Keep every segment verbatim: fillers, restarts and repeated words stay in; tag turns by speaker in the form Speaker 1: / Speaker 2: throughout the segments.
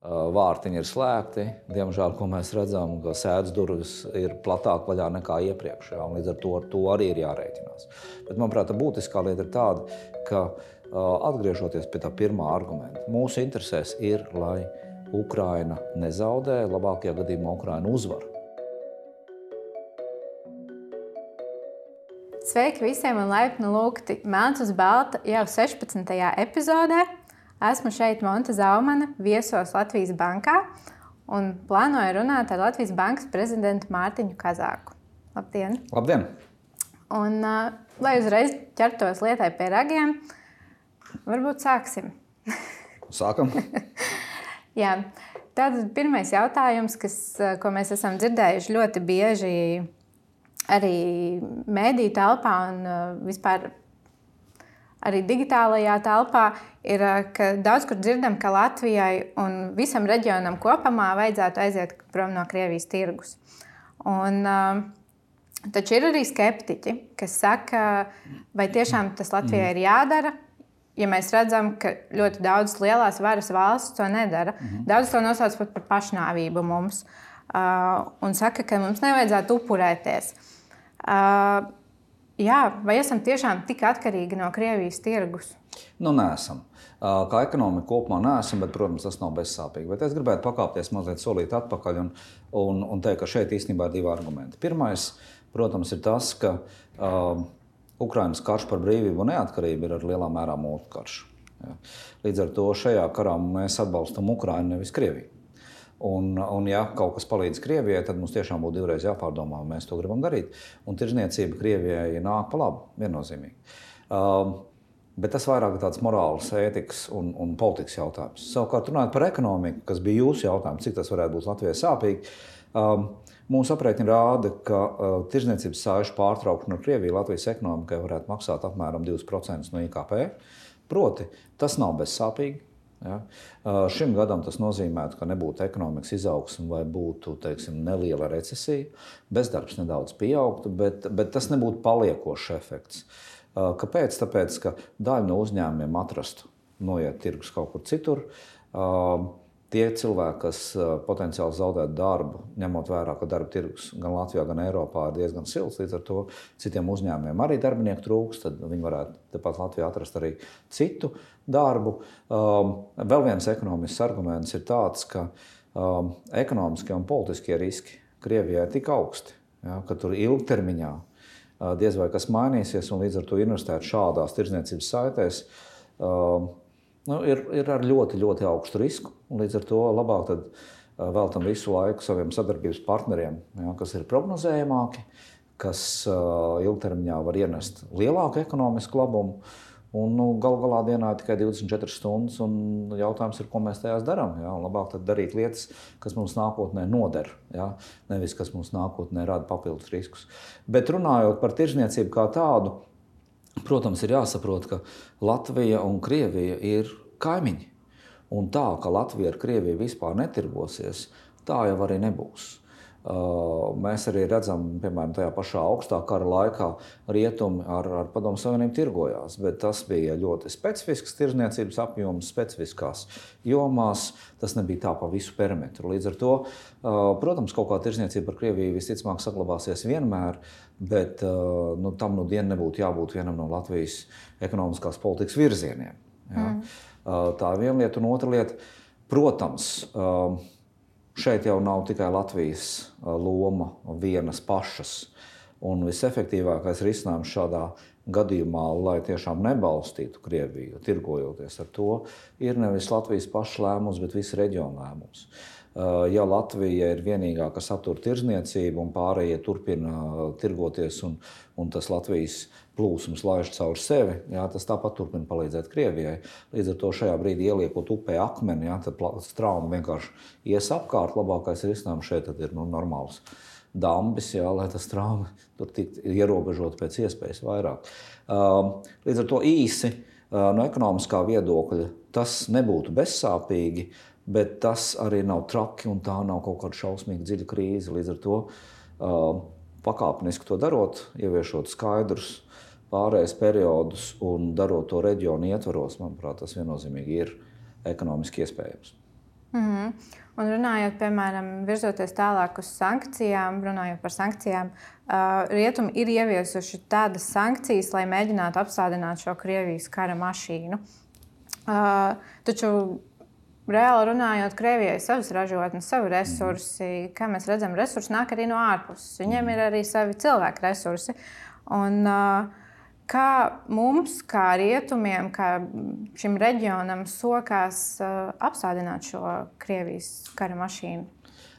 Speaker 1: Vārtiņi ir slēgti, diemžēl, ko mēs redzam, ka sēdes durvis ir platāk vaļā nekā iepriekš, jā, un līdz ar to, ar to arī ir jārēķinās. Bet, manuprāt, tā būtiskā lieta ir tāda, ka atgriežoties pie tā pirmā argumenta, mūsu interesēs ir, lai Ukraina nezaudē, labākajā gadījumā Ukraina uzvar.
Speaker 2: Sveiki visiem un laipni lūgti Melns uz balta jau sešpadsmitajā epizodē. Esmu šeit Monta Zaumane, viesos Latvijas bankā un plānoju runāt ar Latvijas bankas prezidentu Mārtiņu Kazāku. Labdien!
Speaker 1: Labdien!
Speaker 2: Un, uh, lai uzreiz ķertos lietai pie ragiem, varbūt sāksim.
Speaker 1: Sākam!
Speaker 2: Jā, tad pirmais jautājums, kas, ko mēs esam dzirdējuši ļoti bieži arī mēdīju telpā un uh, vispār arī digitālajā telpā, ir, ka daudz kur dzirdam, ka Latvijai un visam reģionam kopumā vajadzētu aiziet prom no Krievijas tirgus. Un, uh, taču ir arī skeptiķi, kas saka, vai tiešām tas Latvijai ir jādara, ja mēs redzam, ka ļoti daudz lielās varas valsts to nedara. Mm-hmm. Daudz to nosauc pat par pašnāvību mums uh, un saka, ka mums nevajadzētu upurēties. Uh, Jā, vai esam tiešām tik atkarīgi no Krievijas tirgus?
Speaker 1: Nu, neesam. Kā ekonomika kopumā neesam, bet, protams, tas nav bezsāpīgi. Bet es gribētu pakāpties mazliet solīt atpakaļ un, un, un teikt, ka šeit īstenībā ir divi argumenti. Pirmais, protams, ir tas, ka uh, Ukrainas karš par brīvību un neatkarību ir ar lielā mērā mūsu karš. Ja. Līdz ar to šajā karā mēs atbalstam Ukrainu, nevis Krieviju. Un, un ja kaut kas palīdz Krievijai, tad mums tiešām būtu divreiz jāpārdomā, vai mēs to gribam darīt. Un tirdzniecība Krievijai nāk pa labu, viennozīmīgi. Um, bet tas vairāk ir tāds morāls, ētikas un, un politikas jautājums. Savukārt runājot par ekonomiku, kas bija jūsu jautājums, cik tas varētu būt Latvijai sāpīgi, um, mūsu aprēķini rāda, ka uh, tirdzniecības saišu pārtraukšana ar Krieviju Latvijas ekonomikai varētu maksāt apmēram divus procentus no I K P. Proti, tas nav bezsāpīgi. Ja? Šim gadam tas nozīmētu, ka nebūtu ekonomikas izaugsme vai būtu, teiksim, neliela recesija, bezdarbs nedaudz pieaugtu, bet, bet tas nebūtu paliekošs efekts. Kāpēc? Tāpēc, ka daļa no uzņēmumiem atrastu noiet tirgus kaut kur citur. Tie cilvēki, kas potenciāli zaudētu darbu, ņemot vērā, ka darba tirgus gan Latvijā, gan Eiropā ir diezgan silts, līdz ar to citiem uzņēmumiem arī darbinieku trūks, tad viņi varētu tepat Latvijā atrast arī citu darbu. Um, vēl viens ekonomisks arguments ir tāds, ka um, ekonomiskie un politiskie riski Krievijai ir tik augsti, ja, ka tur ilgtermiņā uh, diez vai kas mainīsies un līdz ar to investēt šādās tirdzniecības saitēs um, Nu, ir, ir ar ļoti, ļoti augstu risku, un līdz ar to labāk tad uh, veltam visu laiku saviem sadarbības partneriem, ja, kas ir prognozējamāki, kas uh, ilgtermiņā var ienest lielāku ekonomisku labumu, un nu, gal galā dienā ir tikai divdesmit četras stundas, un jautājums ir, ko mēs tajās darām. Ja, labāk tad darīt lietas, kas mums nākotnē noder, ja, nevis kas mums nākotnē rada papildus riskus. Bet runājot par tirdzniecību kā tādu, protams, ir jāsaprot, ka Latvija un Krievija ir kaimiņi. Un tā, ka Latvija ar Krieviju vispār netirgosies, tā jau arī nebūs. Uh, mēs arī redzam, piemēram, tajā pašā augstā kara laikā rietumi ar, ar Padomu Savienību tirgojās, bet tas bija ļoti specifisks tirdzniecības apjoms, specifiskās jomās, tas nebija tā pa visu perimetru. Līdz ar to, uh, protams, kaut kā tirdzniecība ar Krieviju visticamāk saglabāsies vienmēr, bet uh, nu, tam nu dienu nebūtu jābūt vienam no Latvijas ekonomiskās politikas virzieniem. Ja? Mm. Uh, tā ir viena lieta, un otra lieta, protams, uh, šeit jau nav tikai Latvijas loma vienas pašas. Un visefektīvākais risinājums šādā gadījumā, lai tiešām nebalstītu Krieviju, tirgojoties ar to, ir nevis Latvijas pašas lēmums, bet visi reģiona lēmums. Ja Latvija ir vienīgā, kas attur tirdzniecību un pārējie turpina tirgoties un, un tas Latvijas plūsums laiž caur sevi, jā, tas tāpat turpina palīdzēt Krievijai. Līdz ar to šajā brīdī ieliekot upē akmeni, jā, tad trauma vienkārši ies apkārt. Labākais risinājums šeit tad ir nu, normāls dambis, jā, lai tas trauma tur tiktu ierobežot pēc iespējas vairāk. Līdz ar to īsi no ekonomiskā viedokļa tas nebūtu bezsāpīgi, bet tas arī nav traki un tā nav kaut kāda šausmīga dziļa krīze. Līdz ar to pakāpeniski to darot, ieviešot skaidrus pārējais periodus un darot to reģionu ietvaros, manuprāt, tas viennozīmīgi ir ekonomiski iespējams.
Speaker 2: Mm-hmm. Un runājot, piemēram, virzoties tālāk uz sankcijām, runājot par sankcijām, uh, rietumi ir ieviesuši tādas sankcijas, lai mēģinātu apstādināt šo Krievijas kara mašīnu. Uh, taču, reāli runājot, Krievijai ir savas ražotnes, savi resursi. Kā mēs redzam, resursi nāk arī no ārpuses. Viņiem ir arī savi cilvēku resursi. Un, uh, Kā mums, kā rietumiem, kā šim reģionam sokās uh, apstādināt šo Krievijas kara mašīnu?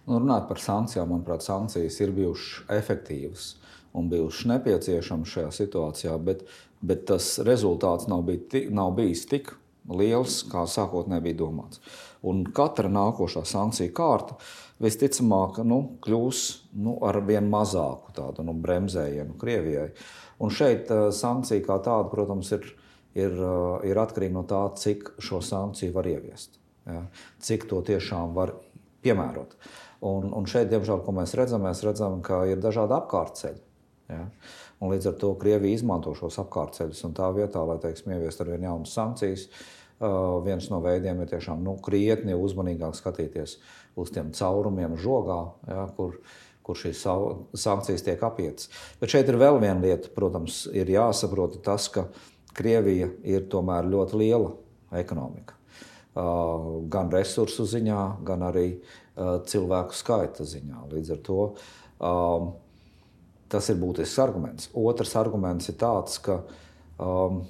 Speaker 1: Nu, runāt par sankcijām, manuprāt, sankcijas ir bijušas efektīvas un bijušas nepieciešamas šajā situācijā, bet, bet tas rezultāts nav, bij, nav bijis tik liels, kā sākotnēji bija domāts. Un katra nākošā sankcija kārta visticamāk nu, kļūs nu, ar vien mazāku tādu nu, bremzējienu Krievijai. Un šeit uh, sankcija kā tāda, protams, ir, ir, uh, ir atkarīga no tā, cik šo sankciju var ieviest. Ja? Cik to tiešām var piemērot. Un, un šeit, diemžēl, ko mēs redzam, mēs redzam, ka ir dažādi apkārtceļi. Ja? Un līdz ar to Krievija izmanto šos apkārtceļus. Un tā vietā, lai teiksim, ieviest ar vien jaunas sankcijas, uh, viens no veidiem ir tiešām nu, krietni uzmanīgāk skatīties uz tiem caurumiem žogā, ja? kur kur šīs sankcijas tiek apietas. Bet šeit ir vēl viena lieta, protams, ir jāsaprot tas, ka Krievija ir tomēr ļoti liela ekonomika. Uh, gan resursu ziņā, gan arī uh, cilvēku skaita ziņā. Līdz ar to um, tas ir būtisks arguments. Otrs arguments ir tāds, ka um,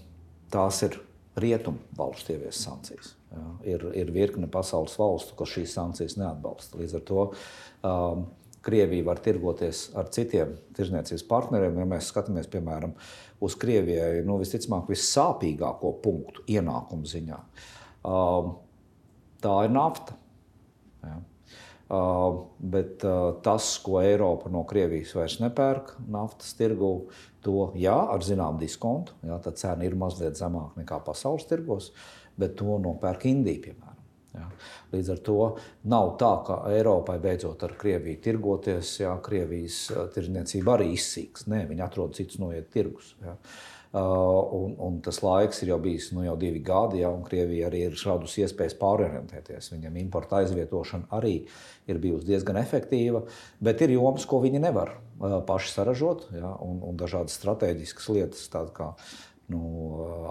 Speaker 1: tās ir rietumu valstu ieviesas sankcijas. Ja? Ir, ir virkne pasaules valstu, kas šīs sankcijas neatbalsta. Līdz ar to um, Krievija var tirgoties ar citiem tirdzniecības partneriem. Ja mēs skatāmies, piemēram, uz Krievijai nu, visticamāk vissāpīgāko punktu ienākumu ziņā, uh, tā ir nafta. Ja. Uh, bet uh, tas, ko Eiropa no Krievijas vairs nepērk naftas tirgū, to jā, ar zinām diskontu, jā, tā cena ir mazliet zemāka nekā pasaules tirgos, bet to nopērk Indija, piemēram. Ja. Līdz ar to nav tā, ka Eiropai beidzot ar Krieviju tirgoties, ja Krievijas tirdzniecība arī izsīks. Nē, viņi atrod citus noiet tirgus. Ja. Uh, un, un tas laiks ir jau bijis nu, jau divi gadi, ja, un Krievija arī ir radusi iespējas pārorientēties. Viņam importa aizvietošana arī ir bijusi diezgan efektīva, bet ir jomas, ko viņi nevar uh, paši saražot, ja, un, un dažādas strateģiskas lietas, tādas kā nu,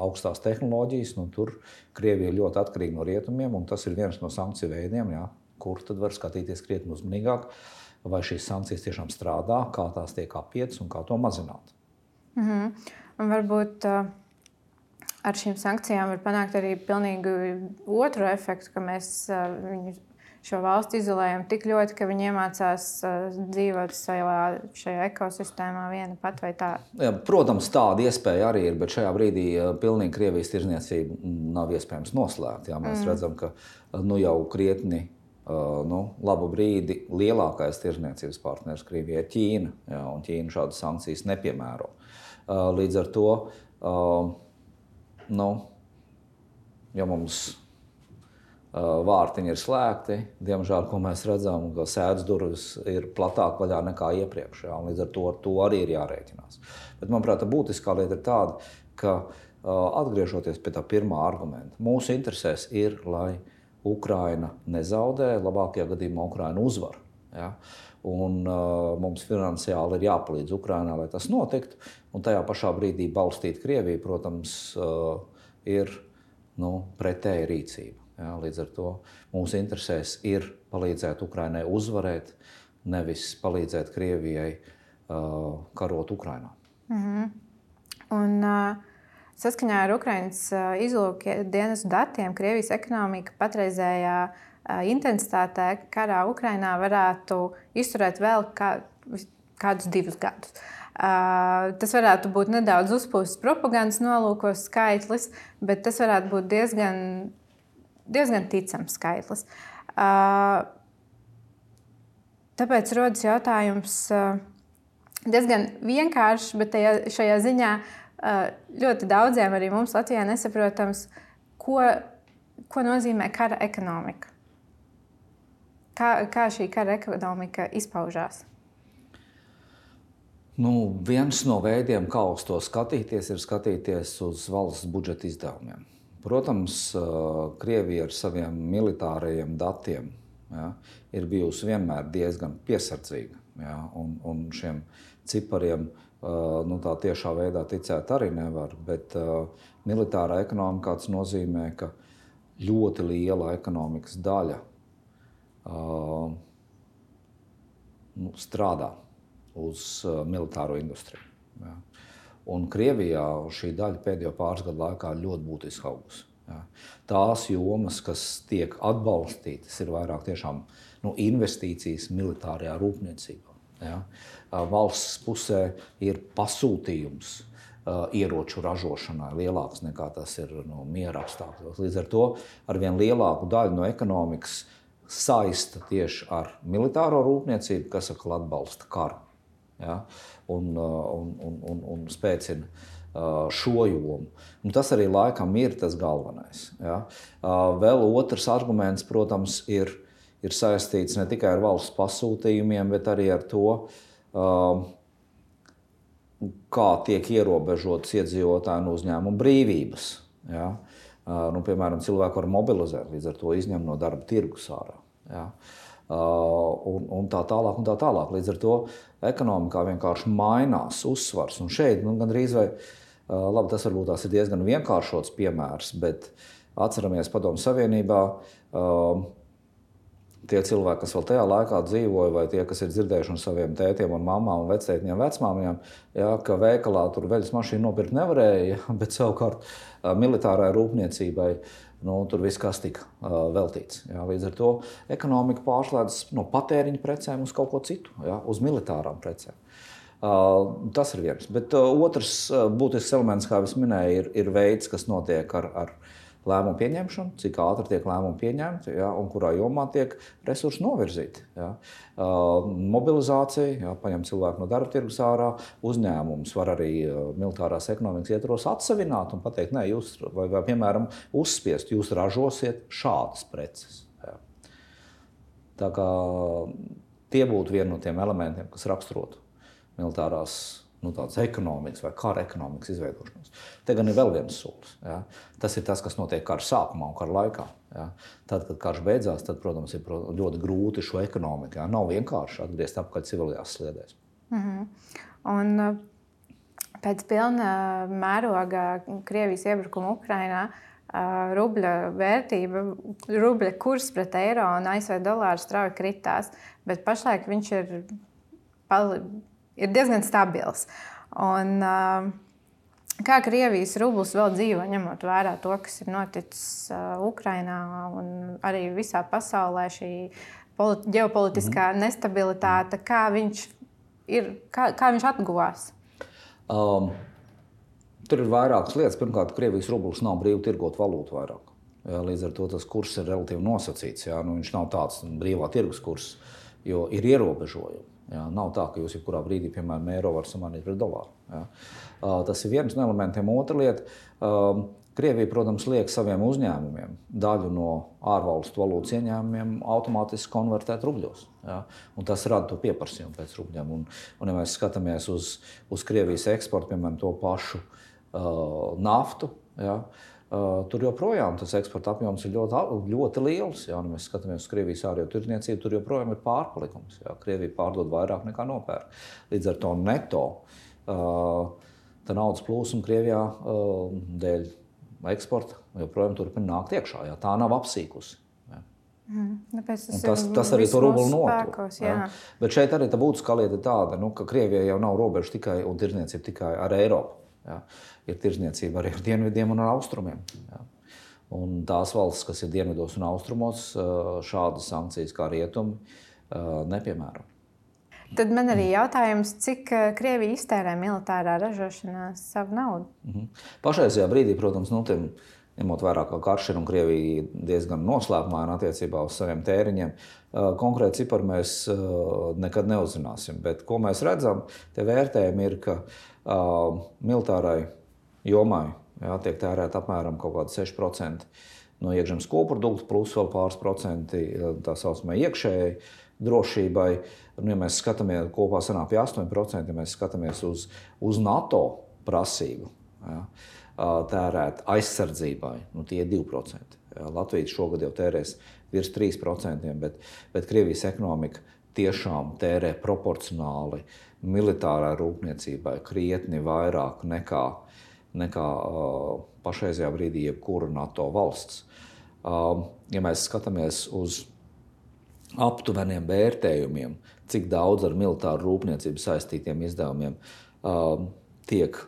Speaker 1: augstās tehnoloģijas, nu, tur Krievija ir ļoti atkarīga no rietumiem, un tas ir viens no sankciju veidiem, jā, kur tad var skatīties krietni uzmanīgāk, vai šīs sankcijas tiešām strādā, kā tās tiek apietas un kā to mazināt.
Speaker 2: Mm-hmm. Un varbūt uh, ar šīm sankcijām var panākt arī pilnīgi otru efektu, ka mēs uh, viņu šo valstu izolējam tik ļoti, ka viņi iemācās uh, dzīvot savā, šajā ekosistēmā viena pat vai tā.
Speaker 1: Jā, protams, tāda iespēja arī ir, bet šajā brīdī uh, pilnīgi Krievijas tirdzniecība nav iespējams noslēgt. Jā, mēs mm. redzam, ka nu, jau krietni uh, nu, labu brīdi lielākais tirdzniecības partners Krievijai ir Ķīna, jā, un Ķīna šādas sankcijas nepiemēro. Uh, līdz ar to, uh, nu, ja mums vārtiņi ir slēgti, diemžēl, ko mēs redzam, ka sēdes durvis ir platāk vaļā nekā iepriekš, jā, un līdz ar to, ar to arī ir jārēķinās. Bet, manuprāt, tā būtiskā lieta ir tāda, ka atgriežoties pie tā pirmā argumenta, mūsu interesēs ir, lai Ukraina nezaudē, labākajā gadījumā Ukraina uzvar. Ja? Un uh, mums finansiāli ir jāpalīdz Ukrainā, lai tas notiktu, un tajā pašā brīdī balstīt Krieviju, protams, uh, ir nu, pretēja rīcība. Ja, līdz ar to mūsu interesēs ir palīdzēt Ukrainai uzvarēt, nevis palīdzēt Krievijai uh, karot Ukrainā.
Speaker 2: Mm-hmm. Un, uh, saskaņā ar Ukrainas uh, izlūka dienestu datiem, Krievijas ekonomika patreizējā uh, intensitātē karā Ukrainā varētu izturēt vēl kā, kādus divus gadus. Uh, tas varētu būt nedaudz uzpūsts propagandas nolūkos skaitlis, bet tas varētu būt diezgan diezgan ticams skaitlis. Uh, tāpēc rodas jautājums uh, diezgan vienkāršs, bet tajā, šajā ziņā uh, ļoti daudziem arī mums Latvijā nesaprotams, ko, ko nozīmē kara ekonomika. Kā, kā šī kara ekonomika izpaužās?
Speaker 1: Nu, viens no veidiem, kā uz to skatīties, ir skatīties uz valsts budžeta izdevumiem. Protams, Krievija ar saviem militārajiem datiem, ja, ir bijusi vienmēr diezgan piesardzīga. Ja, un, un šiem cipariem nu, tā tiešā veidā ticēt arī nevar. Bet uh, militārā ekonomikā tas nozīmē, ka ļoti liela ekonomikas daļa uh, nu, strādā uz uh, militāro industriju. Ja. Un Krievijā šī daļa pēdējo pāris gadu laikā ļoti būtiski augusi. Ja. Tās jomas, kas tiek atbalstītas, ir vairāk tiešām nu, investīcijas militārajā rūpniecībā. Ja. Valsts pusē ir pasūtījums uh, ieroču ražošanai lielāks nekā tas ir nu, miera apstākļos. Līdz ar to arvien lielāku daļu no ekonomikas saista tieši ar militāro rūpniecību, kas atkal atbalsta karu. Ja, un, un, un, un, un spēcina uh, šo jomu. Un tas arī laikam ir tas galvenais. Ja. Uh, vēl otrs arguments, protams, ir, ir saistīts ne tikai ar valsts pasūtījumiem, bet arī ar to, uh, kā tiek ierobežotas iedzīvotāju un uzņēmumu brīvības. Ja. Uh, nu, piemēram, cilvēku var mobilizēt, līdz ar to izņem no darba tirgus ārā. Ja. Uh, un, un tā tālāk, un tā tālāk. Līdz ar to ekonomikā vienkārši mainās uzsvars. Un šeit nu, gandrīz vai, uh, labi, tas varbūt tās ir diezgan vienkāršots piemērs, bet atceramies Padomju Savienībā, uh, tie cilvēki, kas vēl tajā laikā dzīvoja, vai tie, kas ir dzirdējuši no saviem tētiem un mamām un vectētiņiem, vecmāmiņām, ja, ka veikalā tur veļas mašīnu nopirkt nevarēja, ja, bet savukārt uh, militārai rūpniecībai nu, tur viss kas tika uh, veltīts. Ja. Līdz ar to ekonomika pārslēdzas no patēriņa precēm uz kaut ko citu, ja, uz militārām precēm. Uh, tas ir viens. Bet uh, otrs uh, būtisks elements, kā es minēju, ir, ir veids, kas notiek ar, ar lēmumu pieņemšanu, cik ātri tiek lēmumi pieņemti, ja, un kurā jomā tiek resursi novirzīti. Ja. Uh, mobilizācija, ja, paņem cilvēku no darba tirgus ārā, uzņēmums var arī uh, militārās ekonomikas ietvaros atsevināt un pateikt, nē, jūs, vai, vai piemēram, uzspiest, jūs ražosiet šādas preces. Ja. Tā kā tie būtu vieni no tiem elementiem, kas raksturotu militārās nu, tādas ekonomikas vai kara ekonomikas izveidošanos. Te gan ir vēl viens solis. Ja. Tas ir tas, kas notiek kara sākumā un kara laikā. Ja. Tad, kad karš beidzās, tad, protams, ir ļoti grūti šo ekonomiku. Ja. Nav vienkārši atgriezt apakaļ civilajās sliedēs.
Speaker 2: Mm-hmm. Un pēc pilna mēroga Krievijas iebrukuma Ukrainā rubļa vērtība, rubļa kurs pret eiro un A S V dolāru strauji kritās, bet pašlaik viņš ir pali... ir diezgan stabils. Un, uh, kā Krievijas rublis vēl dzīvo, ņemot vērā to, kas ir noticis uh, Ukrainā un arī visā pasaulē, šī politi- ģeopolitiskā mm-hmm. nestabilitāte, kā viņš, ir, kā, kā viņš atguvās?
Speaker 1: Um, tur ir vairākas lietas. Pirmkārt, Krievijas rublis nav brīvi tirgot valūtu vairāk. Jā, līdz ar to tas kurs ir relatīvi nosacīts. Jā, nu, viņš nav tāds brīvā tirgus kurs, jo ir ierobežojumi. Jā, nav tā, ka jūs jebkurā brīdī, piemēram, eiro var samanīt pret dolāru. Jā. Uh, tas ir viens no elementiem. Otra lieta, uh, Krievija, protams, liek saviem uzņēmumiem daļu no ārvalstu valūtas ieņēmumiem automātiski konvertēt rubļos. Jā. Un tas rada to pieprasījumu pēc rubļiem. Un, un ja mēs skatāmies uz, uz Krievijas eksportu, piemēram, to pašu uh, naftu, jā, Uh, tur joprojām tas eksporta apjoms ir ļoti, ļoti liels. Ja mēs skatāmies uz Krievijas ārējo tirdzniecību, tur joprojām ir pārpalikums. Ja. Krievija pārdod vairāk nekā nopērk. Līdz ar to neto uh, tā naudas plūsma Krievijā uh, dēļ eksporta joprojām turpina nākt iekšā. Ja. Tā nav apsīkusi. Ja.
Speaker 2: Mm, tas,
Speaker 1: tas, tas arī to rubli notur. Ja. Bet šeit arī tā būtiskā lieta ir tāda, nu, ka Krievijai jau nav robeža tikai un tirdzniecība tikai ar Eiropu. Ja. Ir tirdzniecība arī ar dienvidiem un ar austrumiem. Ja. Un tās valstis, kas ir dienvidos un austrumos, šādas sankcijas kā rietumi nepiemēro.
Speaker 2: Tad man arī jautājums, cik Krievija iztērē militārā ražošanā savu naudu?
Speaker 1: Mhm. Pašreizajā brīdī, protams, nu, tiem, ņemot vērā, ka karš ir un Krievija diezgan noslēpumaina attiecībā uz saviem tēriņiem, konkrēti cipari mēs nekad neuzzināsim. Bet ko mēs redzam, tie vērtējumi ir, ka uh, militārai jomai jā, tiek tērēt apmēram kaut kādi seši procenti no iekšzemes koprodukta, plus vēl pāris procenti tā saucamai iekšējai drošībai. Un, ja mēs skatāmies, kopā sanāk pie astoņi procenti, ja mēs skatāmies uz, uz NATO prasību, jā, tērēt aizsardzībai, nu tie ir divi procenti. Latvija šogad jau tērēs virs trīs procenti, bet, bet Krievijas ekonomika tiešām tērē proporcionāli militārā rūpniecībai krietni vairāk nekā, nekā uh, pašreizajā brīdī jebkura NATO valsts. Uh, ja mēs skatāmies uz aptuveniem vērtējumiem, cik daudz ar militāru rūpniecību saistītiem izdevumiem uh, tiek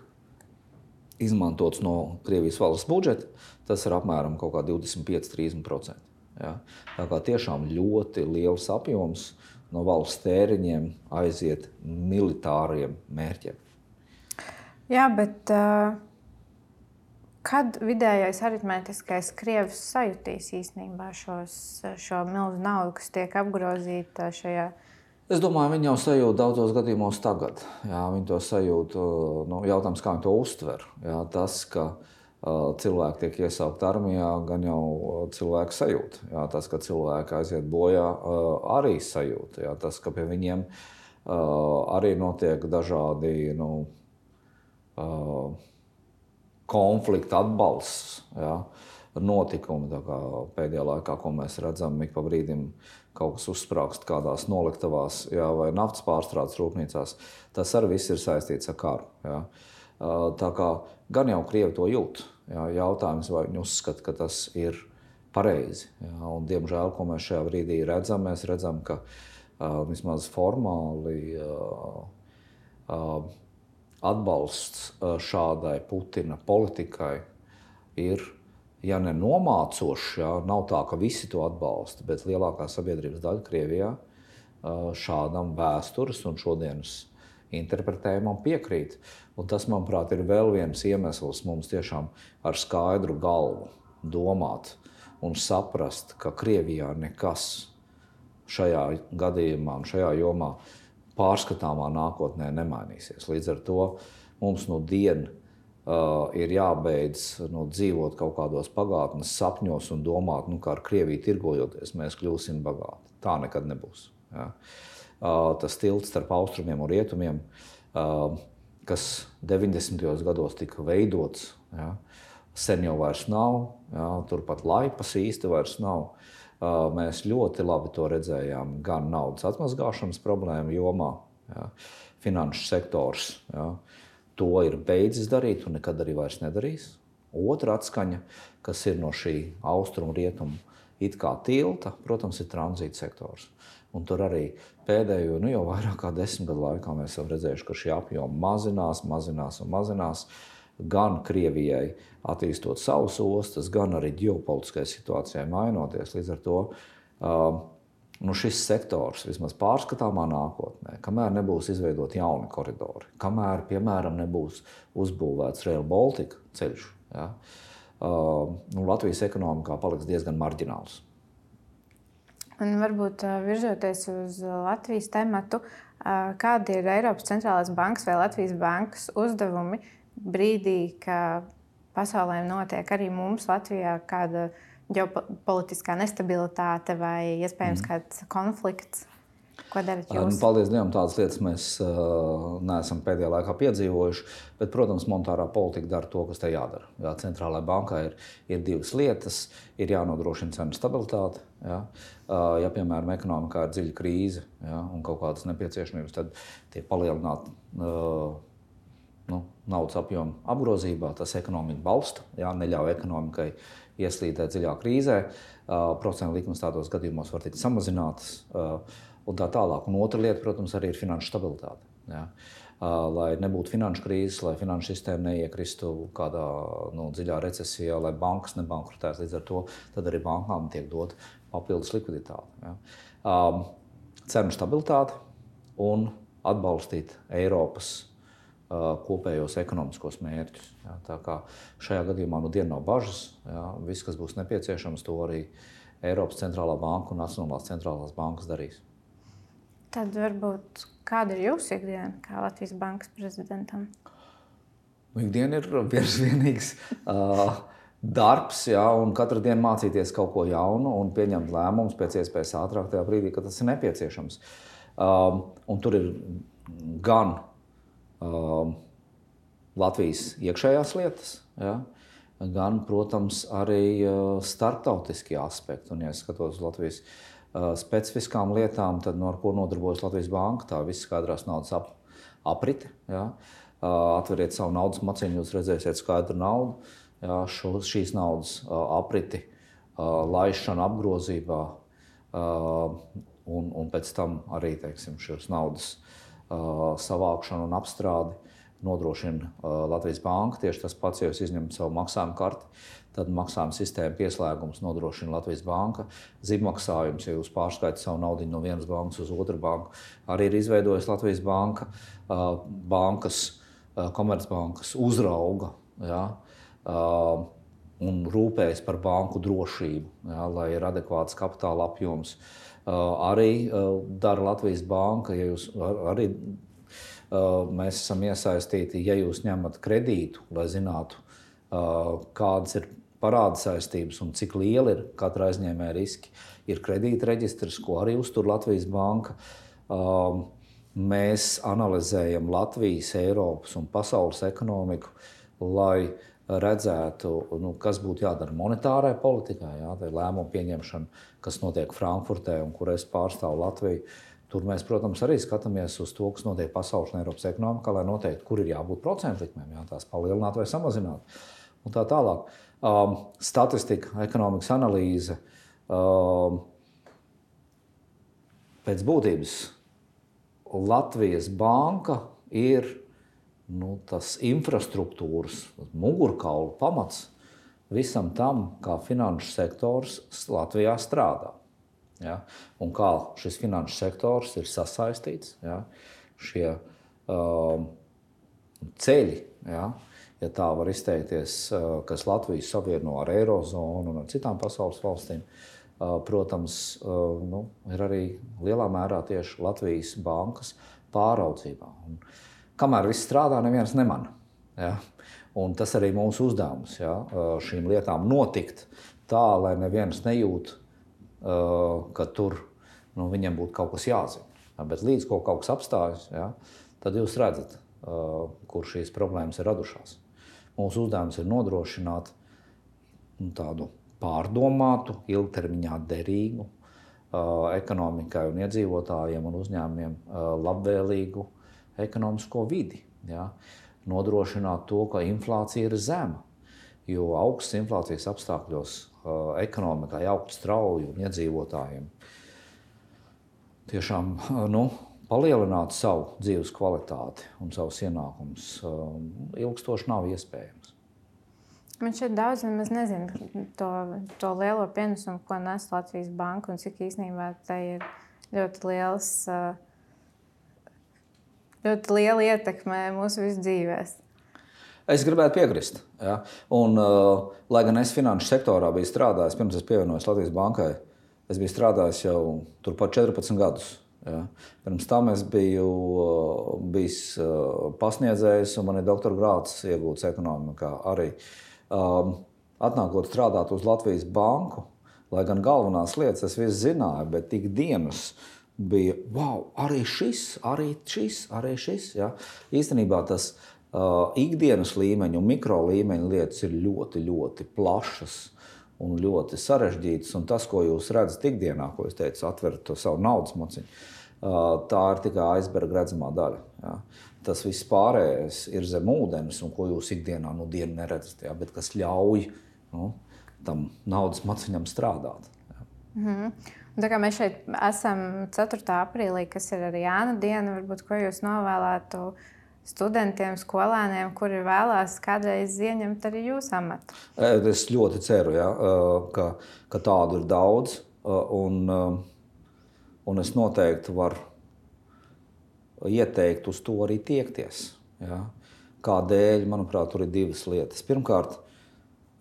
Speaker 1: izmantots no Krievijas valsts budžeta, tas ir apmēram kaut kā divdesmit pieci līdz trīsdesmit procenti. Ja? Tā kā tiešām ļoti liels apjoms no valsts tēriņiem aiziet militāriem mērķiem.
Speaker 2: Jā, bet uh, kad vidējais aritmētiskais krievs sajutīs īstenībā šos, šo milzu naudu, kas tiek apgrozīta šajā?
Speaker 1: Es domāju, viņi jau sajūt daudzos gadījumos tagad. Jā, viņi to sajūt, nu, jautājums, kā viņi to uztver. Jā, tas, ka uh, cilvēki tiek iesaukt armijā, gan jau cilvēki sajūt. Jā, tas, ka cilvēki aiziet bojā, uh, arī sajūt. Jā, tas, ka pie viņiem uh, arī notiek dažādi, nu, uh, konflikta atbalsts, jā, notikumi. Tā kā pēdējā laikā, ko mēs redzam, ik pa brīdim kaut kas uzsprāgst kādās noliktavās, jā, vai naftas pārstrādes rūpnīcās, tas arī viss ir saistīts ar karu. Jā. Tā kā gan jau Krievi to jūt. Jā, jautājums, vai viņi uzskata, ka tas ir pareizi. Jā, un, diemžēl, ko mēs šajā brīdī redzam, mēs redzam, ka uh, vismaz formāli uh, uh, atbalsts šādai Putina politikai ir, ja ne nomācošs, jā, nav tā, ka visi to atbalsta, bet lielākā sabiedrības daļa Krievijā šādam vēstures un šodienas interpretējumam piekrīt. Un tas, manuprāt, ir vēl viens iemesls mums tiešām ar skaidru galvu domāt un saprast, ka Krievijā nekas šajā gadījumā un šajā jomā pārskatāmā nākotnē nemainīsies. Līdz ar to mums no diena uh, ir jābeidz nu, dzīvot kaut kādos pagātnes sapņos un domāt, nu, kā ar Krieviju tirgojoties, mēs kļūsim bagāti. Tā nekad nebūs. Ja. Uh, tas tilts starp austrumiem un rietumiem, uh, kas deviņdesmitajos gados tika veidots, ja, sen jau vairs nav, ja, turpat laipas īsti vairs nav. Mēs ļoti labi to redzējām gan naudas atmazgāšanas problēmu jomā. Ja, finanšu sektors, ja, to ir beidzis darīt un nekad arī vairs nedarīs. Otra atskaņa, kas ir no šī austrumu rietumu it kā tilta, protams, ir tranzīta sektors. Un tur arī pēdējo, nu jau vairāk kā desmit gadu laikā mēs jau redzējuši, ka šie apjomi mazinās, mazinās un mazinās. Gan Krievijai attīstot savus ostas, gan arī ģeopolitiskai situācijai mainoties. Līdz ar to uh, nu šis sektors vismaz pārskatāmā nākotnē, kamēr nebūs izveidot jauni koridori, kamēr, piemēram, nebūs uzbūvēts Rail Baltica ceļš, ja, uh, nu, Latvijas ekonomikā paliks diezgan marģināls.
Speaker 2: Un varbūt virzoties uz Latvijas tematu, kādi ir Eiropas centrālās bankas vai Latvijas bankas uzdevumi brīdī, ka pasaulē notiek arī mums Latvijā kāda ģeopolitiskā nestabilitāte vai iespējams mm. kāds konflikts? Ko darat jūs?
Speaker 1: Paldies Dievam, tādas lietas mēs uh, neesam pēdējā laikā piedzīvojuši, bet, protams, monetārā politika dara to, kas te jādara. Jā, centrālajā bankā ir, ir divas lietas. Ir jānodrošina cenu stabilitāte. Jā. Uh, ja, piemēram, ekonomikā ir dziļa krīze, jā, un kaut kādas nepieciešamības, tad tie palielināt uh, nu, naudas apjomu apgrozībā, tas ekonomiku balsta, jā, neļauj ekonomikai ieslīdēt dziļā krīzē. Uh, procentu likmes tādos gadījumos var tikt samazinātas. Uh, Un tā tālāk. Un otra lieta, protams, arī ir finanšu stabilitāte. Ja? Uh, lai nebūtu finanšu krīzes, lai finanšu sistēma neiekristu kādā nu, dziļā recesijā, lai bankas nebankrotēs. Līdz ar to tad arī bankām tiek dot papildus likviditāte. Ja? Uh, cenu stabilitāte un atbalstīt Eiropas uh, kopējos ekonomiskos mērķus. Ja? Tā kā šajā gadījumā nu diena nav bažas. Ja? Viss, kas būs nepieciešams, to arī Eiropas centrālā banka un Nacionālās centrālās bankas darīs.
Speaker 2: Tad varbūt kāda ir jūsu ikdiena kā Latvijas bankas prezidentam?
Speaker 1: Ikdiena ir vienīgs uh, darbs, jā, un katru dienu mācīties kaut ko jaunu un pieņemt lēmumus pēc iespējas ātrāk tajā brīdī, kad tas ir nepieciešams. Uh, un tur ir gan uh, Latvijas iekšējās lietas, ja, gan, protams, arī starptautiskie aspekti. Un, ja es skatos Latvijas specifiskām lietām, tad no ar ko nodarbojas Latvijas Banka, tā viss skaidrās naudas ap, aprite. Ja. Atveriet savu naudas maciņu, jūs redzēsiet skaidru naudu. Ja, šo, šīs naudas apriti, laišanu apgrozībā un, un pēc tam arī, teiksim, šīs naudas savākšanu un apstrādi nodrošina Latvijas Banka. Tieši tas pats, ja jūs izņemat savu maksājumu karti, tad maksājuma sistēma pieslēgums nodrošina Latvijas Banka. Zibmaksājums, ja jūs pārskaitat savu naudu no vienas bankas uz otru banku, arī ir izveidojusi Latvijas Banka. Bankas, komercbankas uzrauga, ja, un rūpējas par banku drošību, ja, lai ir adekvāts kapitāla apjoms. Arī dara Latvijas Banka, ja jūs arī mēs esam iesaistīti, ja jūs ņemat kredītu, lai zinātu, kādas ir parāda saistības un cik liela ir katra aizņēmēja riski. Ir kredīta reģistrs, ko arī uztur Latvijas Banka. Mēs analizējam Latvijas, Eiropas un pasaules ekonomiku, lai redzētu, nu, kas būtu jādara monetārai politikai, jā, tā ir lēmumu pieņemšana, kas notiek Frankfurtē un kur es pārstāvu Latviju. Tur mēs, protams, arī skatāmies uz to, kas notiek pasaules un Eiropas ekonomikā, lai noteikti, kur ir jābūt procentu likmēm, jā, tās palielināt vai samazināt. Un tā tālāk. Um, statistika, ekonomikas analīze, um, pēc būtības Latvijas Banka ir nu, tas infrastruktūras, mugurkaula pamats visam tam, kā finanšu sektors Latvijā strādā. Ja? Un kā šis finanšu sektors ir sasaistīts, ja? Šie um, ceļi, ja? Ja tā var izteikties, kas Latviju savieno ar Eirozonu un ar citām pasaules valstīm, uh, protams, uh, nu, ir arī lielā mērā tieši Latvijas bankas pāraudzībā. Un, kamēr viss strādā, neviens nemana. Ja? Un tas arī mūsu uzdevums, ja? Šīm lietām notikt tā, lai neviens nejūt, ka tur nu, viņam būtu kaut kas jāzina. Ja? Bet līdz ko kaut kas apstājas, ja? Tad jūs redzat, kur šīs problēmas ir radušās. Mūsu uzdevums ir nodrošināt tādu pārdomātu, ilgtermiņā derīgu ekonomikai un iedzīvotājiem un uzņēmumiem labvēlīgu ekonomisko vidi. Ja? Nodrošināt to, ka inflācija ir zema, jo augstas inflācijas apstākļos uh, ekonomikai augt strauji un iedzīvotājiem tiešām uh, nu, palielināt savu dzīves kvalitāti un savus ienākumus uh, ilgstoši nav iespējams.
Speaker 2: Man šeit daudz nemaz nezinu to, to lielo pienesumu, ko nes Latvijas Banka un cik īstenībā tai ir ļoti liels uh, ļoti liela ietekme mūsu visu dzīvēs.
Speaker 1: Es gribētu piekrist. Ja? Un, uh, lai gan es finanšu sektorā biju strādājis, pirms es pievienojos Latvijas Bankai, es biju strādājis jau turpat četrpadsmit gadus. Ja? Pirms tam es biju uh, bijis uh, pasniedzējs un man ir doktora grāds iegūts ekonomikā arī. Um, atnākot strādāt uz Latvijas Banku, lai gan galvenās lietas es visu zināju, bet ikdienas bija, wow, arī šis, arī šis, arī šis. Ja? Īstenībā tas uh, ikdienas līmeņa un mikro līmeņa lietas ir ļoti, ļoti plašas un ļoti sarežģītas. Un tas, ko jūs redzat ikdienā, ko es teicu, atverat to savu naudas maciņu, uh, tā ir tikai aizberga redzamā daļa. Ja? Tas viss pārējais ir zem ūdens, un ko jūs ikdienā nu dienu neredzat, ja? Bet kas ļauj nu, tam naudas maciņam strādāt. Ja?
Speaker 2: Mm-hmm. Tā kā mēs šeit esam ceturtā aprīlī, kas ir arī Jāna diena, varbūt ko jūs novēlētu studentiem, skolēniem, kuri vēlās kādreiz ieņemt arī jūsu amatu?
Speaker 1: Es ļoti ceru, ja, ka, ka tādu ir daudz, un, un es noteikti varu ieteikt uz to arī tiekties. Ja. Kādēļ, manuprāt, tur ir divas lietas. Pirmkārt,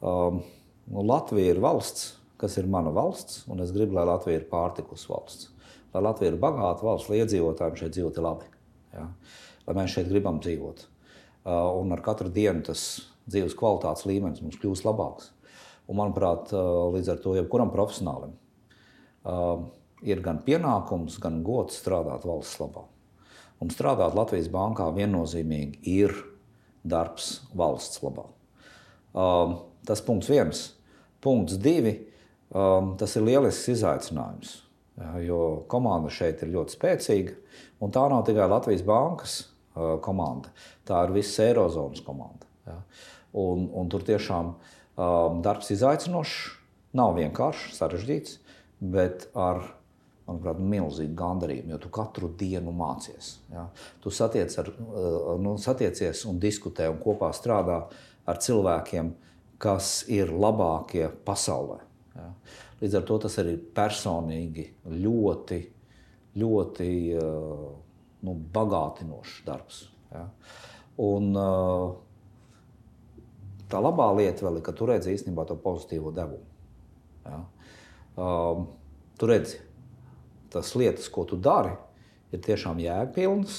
Speaker 1: Latvija ir valsts, kas ir mana valsts, un es gribu, lai Latvija ir pārtikus valsts. Lai Latvija ir bagāta valsts, lai iedzīvotājiem šeit dzīvot labi. Ja? Lai mēs šeit gribam dzīvot. Uh, un ar katru dienu tas dzīves kvalitātes līmenis mums kļūst labāks. Un, manuprāt, uh, līdz ar to jebkuram profesionālim uh, ir gan pienākums, gan gods strādāt valsts labā. Un strādāt Latvijas Bankā viennozīmīgi ir darbs valsts labā. Um, tas punkts viens. Punkts divi. Um, tas ir lielisks izaicinājums, ja, jo komanda šeit ir ļoti spēcīga. Un tā nav tikai Latvijas bankas uh, komanda. Tā ir visas Eirozonas komanda. Ja. Un, un tur tiešām um, darbs izaicinošs, nav vienkāršs, sarežģīts, bet ar, manuprāt, milzīgu gandarījumu, jo tu katru dienu mācies. Ja. Tu satiec ar, uh, nu, satiecies un diskutē un kopā strādā ar cilvēkiem, kas ir labākie pasaulē. Ja. Līdz ar to tas arī personīgi ļoti, ļoti uh, nu, bagātinošs darbs. Ja. Un, uh, Tā labā lieta vēl ir, ka tu redzi īstenībā to pozitīvo devumu. Ja? Um, tu redzi, tas lietas, ko tu dari, ir tiešām jēgpilnas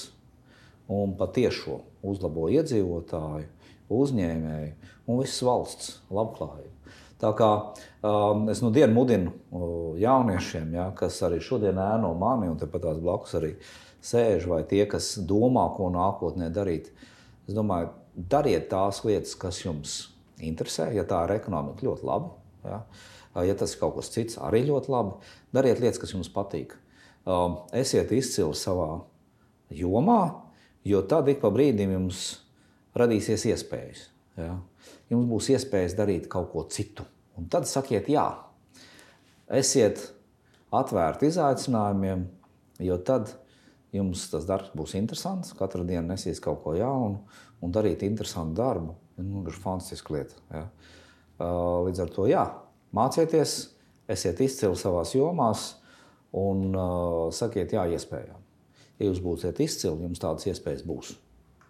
Speaker 1: un patiešo uzlabo iedzīvotāju, uzņēmēju un visas valsts labklājību. Tā kā um, es nu dienu mudinu uh, jauniešiem, ja, kas arī šodien ēno mani un tepat tās blakus arī sēž, vai tie, kas domā, ko nākotnē darīt, es domāju, dariet tās lietas, kas jums interesē, ja tā ir ekonomika ļoti labi, ja, ja tas ir kaut kas cits, arī ļoti labi. Dariet lietas, kas jums patīk. Esiet izcili savā jomā, jo tad ik pa brīdim jums radīsies iespējas. Ja. Jums būs iespējas darīt kaut ko citu. Un tad sakiet jā. Esiet atvērti izaicinājumiem, jo tad jums tas darbs būs interesants, katru dienu nesīs kaut ko jaunu un darīt interesantu darbu. Nu, ir fantastiska lieta. Ja. Līdz ar to jā, mācieties, esiet izcili savās jomās un uh, sakiet jā iespējām. Ja jūs būsiet izcili, jums tādas iespējas būs.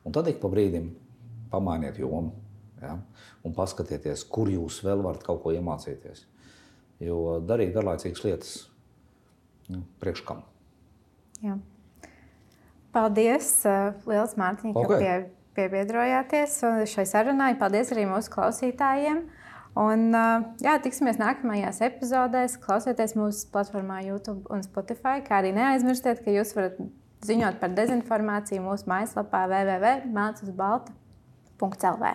Speaker 1: Un tad ik pa brīdim pamainiet jomu, ja, un paskatieties, kur jūs vēl varat kaut ko iemācīties. Jo darīt garlaicīgas lietas nu, priekš kam. Jā.
Speaker 2: Paldies, liels Mārtiņ, ka okay. pie, piebiedrojāties šai sarunai. Paldies arī mūsu klausītājiem. Un, jā, tiksimies nākamajās epizodēs. Klausieties mūsu platformā YouTube un Spotify, kā arī neaizmirstiet, ka jūs varat ziņot par dezinformāciju mūsu mājaslapā w w w punkt melns uz balta punkt l v.